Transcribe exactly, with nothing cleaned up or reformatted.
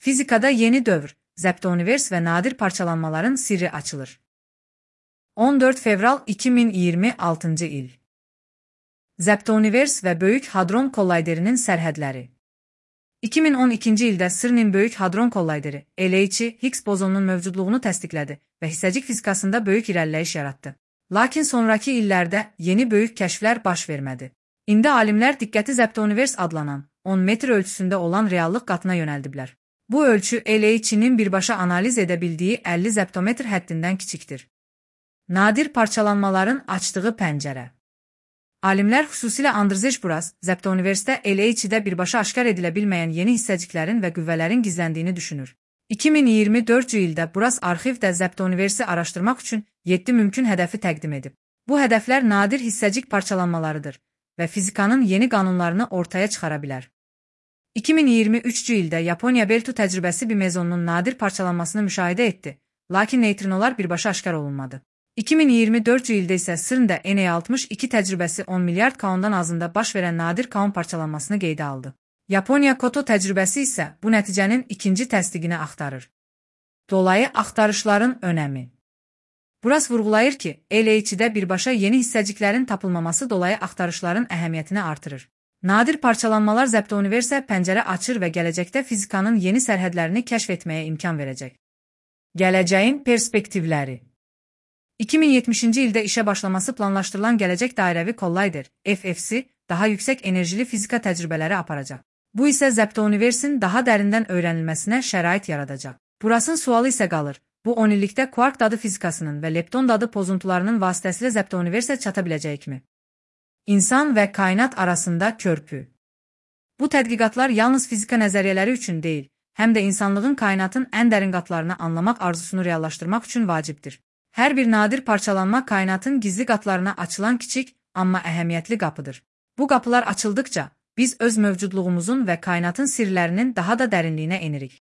Fizikada yeni dövr, zeptonivers və nadir parçalanmaların sirri açılır. on dörd fevral iki min iyirmi altıncı il. Zeptonivers və Böyük Hadron Kollayderinin sərhədləri. iki min on ikinci ildə CERN-in Böyük Hadron Kollayderi, L H Higgs bozonunun mövcudluğunu təsdiqlədi və hissəcik fizikasında böyük irəliləyiş yaratdı. Lakin sonraki illərdə yeni böyük kəşflər baş vermədi. İndi alimlər diqqəti zeptonivers adlanan on metr ölçüsündə olan reallıq qatına yönəldiblər. Bu ölçü L H'nin birbaşa analiz edə bildiyi əlli zeptometr həddindən kiçikdir. Nadir parçalanmaların açdığı pəncərə. Alimlər xüsusilə Andrzej Buras, zeptoniversdə L H'də birbaşa aşkar edilə bilməyən yeni hissəciklərin və qüvvələrin gizləndiyini düşünür. iki min iyirmi dördüncü ildə Buras arxivdə zeptoniversi araşdırmaq üçün yeddi mümkün hədəfi təqdim edib. Bu hədəflər nadir hissəcik parçalanmalarıdır və fizikanın yeni qanunlarını ortaya çıxara bilər. iki min iyirmi üçüncü ildə Yaponiya Beltu təcrübəsi bir mezonun nadir parçalanmasını müşahidə etdi, lakin neytrinolar birbaşa aşkar olunmadı. iki min iyirmi dördüncü ildə isə CERN-də N altmış iki təcrübəsi on milyard kaondan azında baş verən nadir kaon parçalanmasını qeydə aldı. Yaponiya Koto təcrübəsi isə bu nəticənin ikinci təsdiqini axtarır. Dolayı axtarışların önəmi. Buras vurğulayır ki, L H'də birbaşa yeni hissəciklərin tapılmaması dolayı axtarışların əhəmiyyətini artırır. Nadir parçalanmalar zeptoniversə pəncərə açır və gələcəkdə fizikanın yeni sərhədlərini kəşf etməyə imkan verəcək. Gələcəyin perspektivləri. iki min yetmişinci ildə işə başlaması planlaşdırılan gələcək dairəvi kollayder, F F C, daha yüksək enerjili fizika təcrübələri aparacaq. Bu isə zeptoniversin daha dərindən öyrənilməsinə şərait yaradacaq. Burasın sualı isə qalır. Bu on illikdə kvark dadı fizikasının və lepton dadı pozuntularının vasitəsilə zeptoniversə çata biləcəyikmi? İnsan və kainat arasında körpü. Bu tədqiqatlar yalnız fizika nəzəriyyələri üçün deyil, həm də insanlığın kainatın ən dərin qatlarını anlamaq arzusunu reallaşdırmaq üçün vacibdir. Hər bir nadir parçalanma kainatın gizli qatlarına açılan kiçik, amma əhəmiyyətli qapıdır. Bu qapılar açıldıkca, biz öz mövcudluğumuzun və kainatın sirlərinin daha da dərinliyinə enirik.